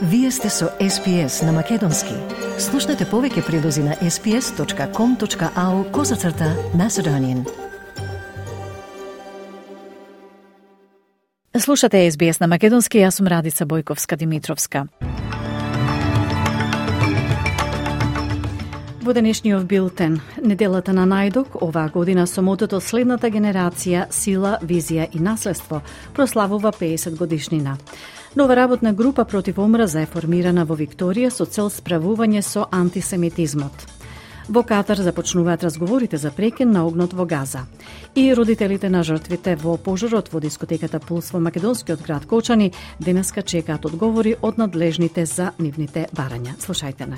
Вие сте со SPS на Македонски. Слушнете повеќе прилози на sps.com.au/Macedonian. Слушате SBS на Македонски, јас сум Радица Бојковска-Димитровска. Во денешниот билтен, неделата на најдок, оваа година со мотото "Следната генерација, сила, визија и наследство" прославува 50 годишнина. Нова работна група против омраза е формирана во Викторија со цел справување со антисемитизмот. Во Катар започнуваат разговорите за прекин на огнот во Газа. И родителите на жртвите во пожарот во дискотеката Пулс во македонскиот град Кочани денеска чекаат одговори од надлежните за нивните барања. Слушајте не.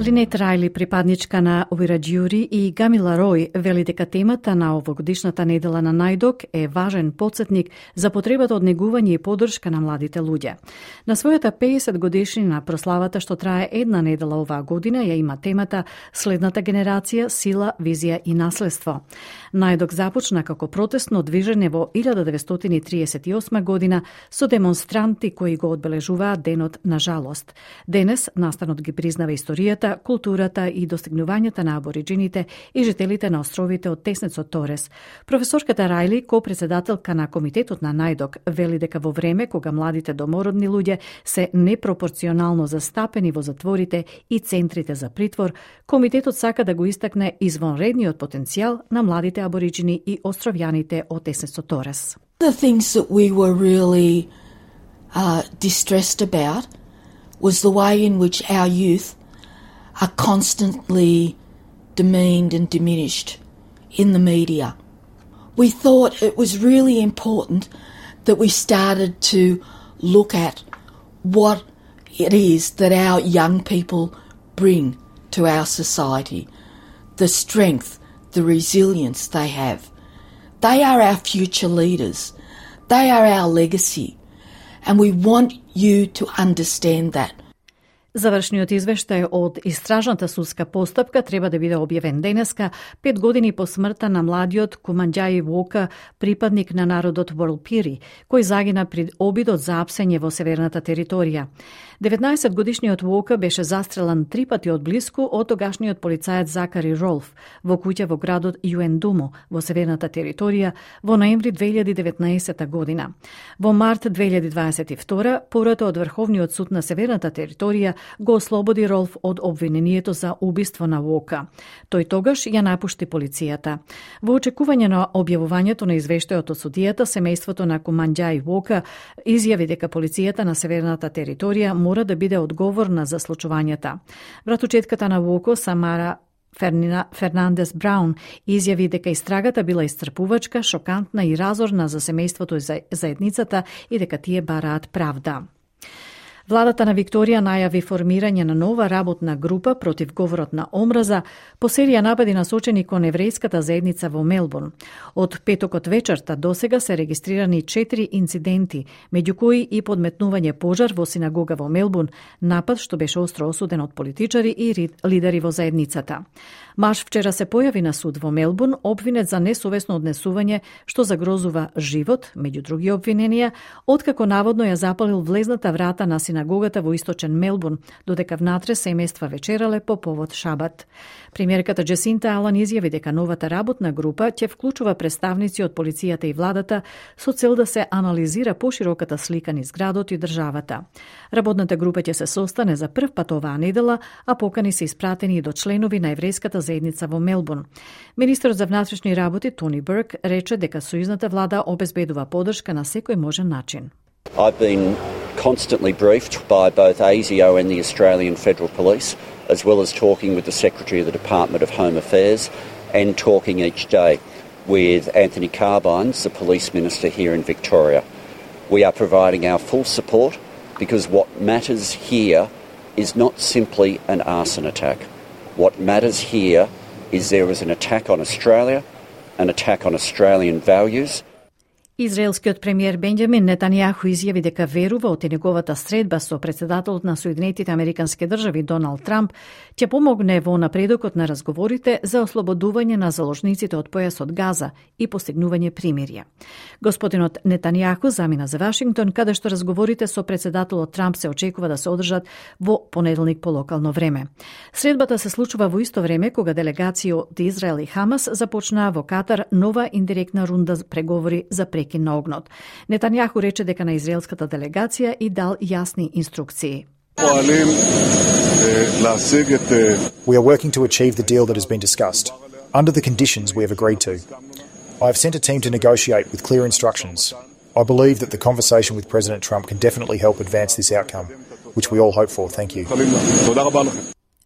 Линет Рајли, припадничка на Уираџјури, и Гамила Рој вели дека темата на овогодишната недела на најдок е важен потсетник за потребата од негување и поддршка на младите луѓе. На својата 50 годишнина прославата што трае една недела оваа година ја има темата "Следната генерација, сила, визија и наследство". Најдок започна како протестно движење во 1938 година со демонстранти кои го одбележуваат денот на жалост. Денес настанот ги признава историјата, културата и достигнувањата на абориџините и жителите на островите од теснецот Торес. Професорката Рајли, ко-председателка на комитетот на најдок, вели дека во време кога младите домородни луѓе се непропорционално застапени во затворите и центрите за притвор, комитетот сака да го истакне извонредниот потенцијал на младите абориџини и островјаните од теснецот Торес. The things that we were really distressed about was the way in which our youth are constantly demeaned and diminished in the media. We thought it was really important that we started to look at what it is that our young people bring to our society, the strength, the resilience they have. They are our future leaders. They are our legacy. And we want you to understand that. Завршниот извештај од истражната судска постапка треба да биде објавен денеска, 5 години по смртта на младиот Куманџаји Вока, припадник на народот Ворлпири, кој загина при обидот за апсење во северната територија. 19-годишниот Вока беше застрелан 3 пати од блиску од тогашниот полицаец Закари Ролф во куќа во градот Юендумо во северната територија во ноември 2019 година. Во март 2022 пората од Врховниот суд на северната територија го ослободи Ролф од обвинението за убиство на Вока. Тој тогаш ја напушти полицијата. Во очекување на објавувањето на извештајот од судијата, семејството на Куманџаји Вока изјави дека полицијата на северната територија мора да биде одговорна за случувањата. Братучетката на Воко, Самара Фернандес Браун, изјави дека истрагата била исцрпувачка, шокантна и разорна за семејството и заедницата и дека тие бараат правда. Владата на Викторија најави формирање на нова работна група против говорот на омраза по серија напади насочени кон еврејската заедница во Мелбурн. Од петокот вечерта досега се регистрирани 4 инциденти, меѓу кои и подметнување пожар во синагога во Мелбурн, напад што беше остро осуден од политичари и лидери во заедницата. Маш вчера се појави на суд во Мелбурн, обвинет за несовесно однесување што загрозува живот, меѓу други обвиненија, откако наводно ја запалил влезната врата на синагогата во источен Мелбурн, додека внатре семејства вечерале по повод Шабат. Премиерката Джесинта Алан изјави дека новата работна група ќе вклучува представници од полицијата и владата со цел да се анализира пошироката слика низ градот и државата. Работната група ќе се состане за прв пат оваа недела, а покани се испратени и до членови на еврејската заедница во Мелбурн. Министерот за внатрешни работи Тони Бурк рече дека сојузната влада обезбедува поддршка на секој можен начин. I've been constantly briefed by both ASIO and the Australian Federal Police, as well as talking with the Secretary of the Department of Home Affairs and talking each day with Anthony Carbines, the Police Minister here in Victoria. We are providing our full support because what matters here is not simply an arson attack. What matters here is there is an attack on Australia, an attack on Australian values. Израелскиот премиер Бенџамин Нетанијаху изјави дека верува од неговата средба со претседателот на Соединетите Американски држави Доналд Трамп ќе помогне во напредокот на разговорите за ослободување на заложниците од појасот Газа и постигнување примирие. Господинот Нетанијаху замина за Вашингтон, каде што разговорите со претседателот Трамп се очекува да се одржат во понеделник по локално време. Средбата се случува во исто време кога делегации од Израел и Хамас започнаа во Катар нова индиректна рунда преговори за прекин на огнот. Нетанијаху рече дека на израелската делегација и дал јасни инструкции. We are working to achieve the deal that has been discussed, under the conditions we have agreed to. I have sent a team to negotiate with clear instructions. I believe that the conversation with President Trump can definitely help advance this outcome, which we all hope for. Thank you.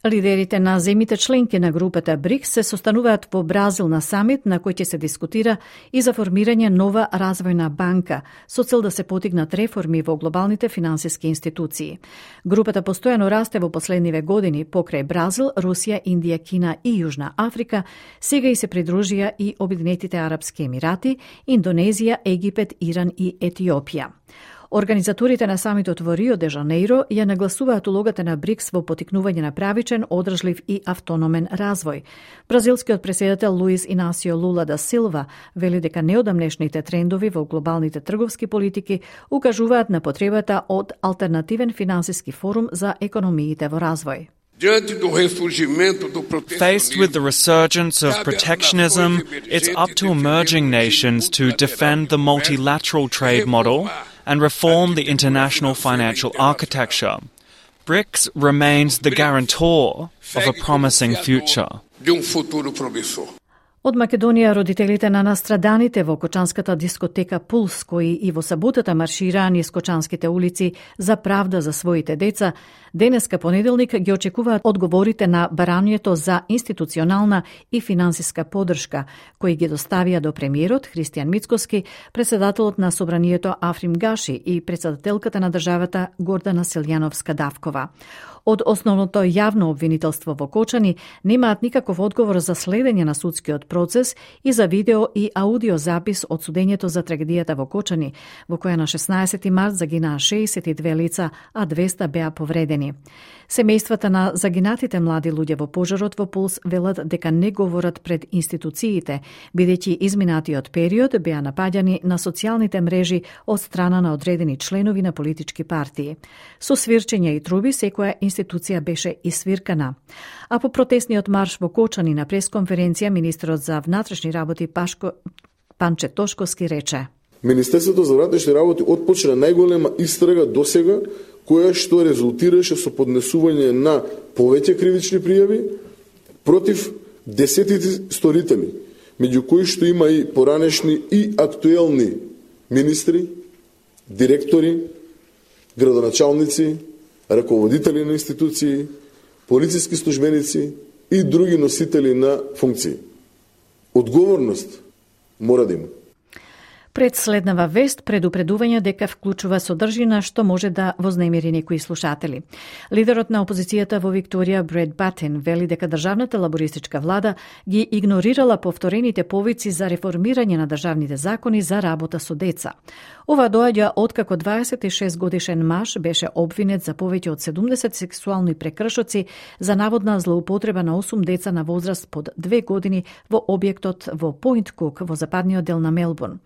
Лидерите на земјите членки на групата БРИКС се состануваат во Бразил на самит на кој ќе се дискутира и за формирање нова развојна банка со цел да се потигнат реформи во глобалните финансиски институции. Групата постојано расте во последниве години покрај Бразил, Русија, Индија, Кина и Јужна Африка, сега и се придружија и Обединетите Арапски Емирати, Индонезија, Египет, Иран и Етиопија. Организаторите на самитот во Рио де Жанеиро ја нагласуваат улогата на БРИКС во потикнување на правичен, одржлив и автономен развој. Бразилскиот претседател Луис Инасио Лула да Силва вели дека неодамнешните трендови во глобалните трговски политики укажуваат на потребата од алтернативен финансиски форум за економиите во развој. Faced with the resurgence of protectionism, it's up to emerging nations to defend the multilateral trade model and reform the international financial architecture. BRICS remains the guarantor of a promising future. Од Македонија родителите на настраданите во кочанската дискотека Пулс, кои и во саботата маршираа низ кочанските улици за правда за своите деца, денеска понеделник ги очекуваат одговорите на барањето за институционална и финансиска поддршка, кои ги доставија до премиерот Христијан Мицкоски, председателот на Собранието Африм Гаши и председателката на државата Гордана Силјановска-Давкова. Од основното јавно обвинителство во Кочани немаат никаков одговор за следење на судскиот процес и за видео и аудио запис од судењето за трагедијата во Кочани, во која на 16 март загинаа 62 лица, а 200 беа повредени. Семејствата на загинатите млади луѓе во пожарот во Пулс велат дека не говорат пред институциите, бидејќи изминатиот период беа напаѓани на социјалните мрежи од страна на одредени членови на политички партии. Со свирчење и труби секоја институција беше исвиркана. А по протестниот марш во Кочани на пресконференција министерот за внатрешни работи Панче Тошковски рече: Министерството за внатрешни работи отпочна најголема истрага досега, која што резултираше со поднесување на повеќе кривични пријави против десетици сторители, меѓу кои што има и поранешни и актуелни министри, директори, градоначалници, раководители на институции, полициски службеници и други носители на функции. Одговорност мора да има. Пред следнава вест, предупредување дека вклучува содржина што може да вознемири некои слушатели. Лидерот на опозицијата во Викторија Бред Батен вели дека државната лабористичка влада ги игнорирала повторените повици за реформирање на државните закони за работа со деца. Ова доаѓа откако 26 годишен маж беше обвинет за повеќе од 70 сексуални прекршоци за наводна злоупотреба на 8 деца на возраст под 2 години во објектот во Пойнт Кук во западниот дел на Мелбурн.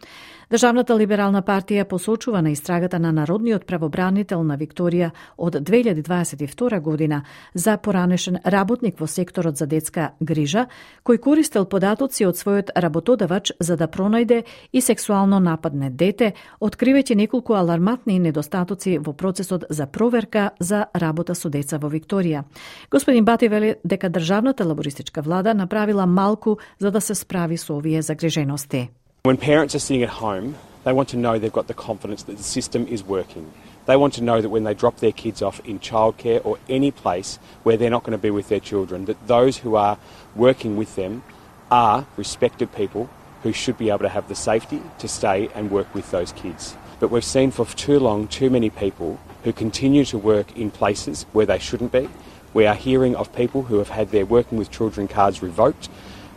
Државната либерална партија посочува на истрагата на Народниот правобранител на Викторија од 2022 година за поранешен работник во секторот за детска грижа, кој користел податоци од својот работодавач за да пронајде и сексуално нападне дете, откривајќи неколку алармантни недостатоци во процесот за проверка за работа со деца во Викторија. Господин Бати вели дека државната лабористичка влада направила малку за да се справи со овие загрижености. When parents are sitting at home, they want to know they've got the confidence that the system is working. They want to know that when they drop their kids off in childcare or any place where they're not going to be with their children, that those who are working with them are respected people who should be able to have the safety to stay and work with those kids. But we've seen for too long too many people who continue to work in places where they shouldn't be. We are hearing of people who have had their working with children cards revoked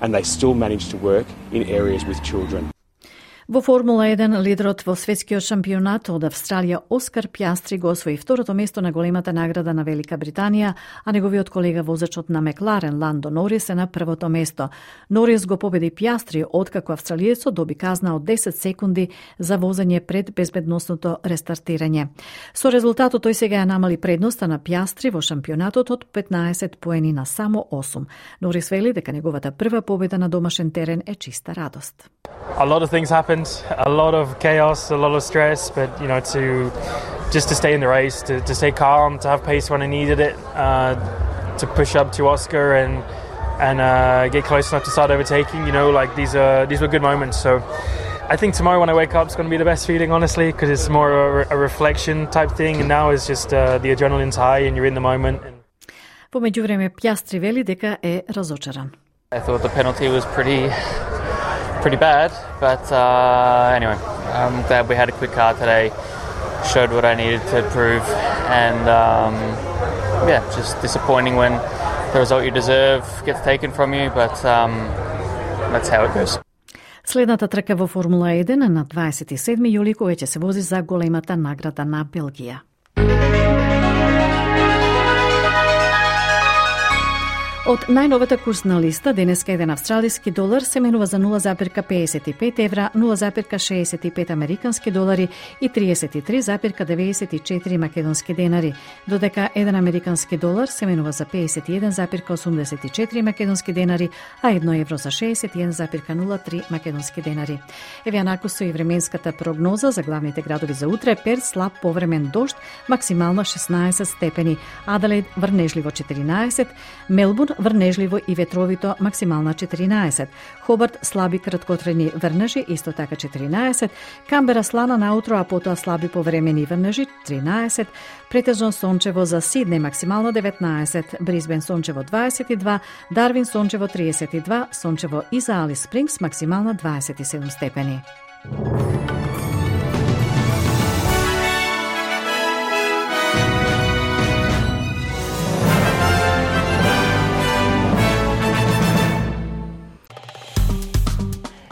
and they still manage to work in areas with children. Во Формула 1, лидерот во светскиот шампионат од Австралија Оскар Пјастри го освои второто место на големата награда на Велика Британија, а неговиот колега возачот на Мекларен Ландо Норис е на првото место. Норис го победи Пјастри откако австралиецот доби казна од 10 секунди за возење пред безбедносното рестартирање. Со резултатот тој сега ја намали предноста на Пјастри во шампионатот од 15 поени на само 8. Норис вели дека неговата прва победа на домашен терен е чиста радост. A lot of things happened, a lot of chaos, a lot of stress, but to stay in the race, to stay calm, to have pace when I needed it, to push up to Oscar and get close enough to start overtaking. These were good moments. So I think tomorrow when I wake up, it's going to be the best feeling, honestly, because it's more a reflection type thing, and now it's just the adrenaline's high and you're in the moment. Во меѓувреме Пјастри вели дека е разочаран. I thought the penalty was pretty bad, but anyway, I'm glad we had a quick car today, showed what I needed to prove, and just disappointing when the result you deserve gets taken from you, but that's how it goes. Следната трка во Формула 1 на 27 јули која ќе се вози за големата награда на Белгија. Од најновата курсна листа, денеска еден австралиски долар се менува за 0,55 евра, 0,65 американски долари и 33,94 македонски денари, додека еден американски долар се менува за 51,84 македонски денари, а 1 евро за 61,03 македонски денари. Еве накусо и временската прогноза за главните градови за утре: Перт слаб повремен дожд, максимално 16 степени, Аделаид врнежливо 14, Мелбурн врнежливо и ветровито, максимална 14. Хобарт слаби краткотрени врнежи, исто така 14. Камбера слана наутро, а потоа слаби повремени врнежи 13. Претежно сончево за Сиднеј, максимално 19. Брисбен сончево 22. Дарвин сончево 32. Сончево и за Алис Спрингс, максимална 27 степени.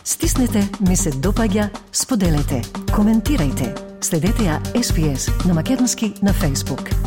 Стиснете, ми се допаѓа, споделете, коментирајте. Следете ја SPS на Македонски на Facebook.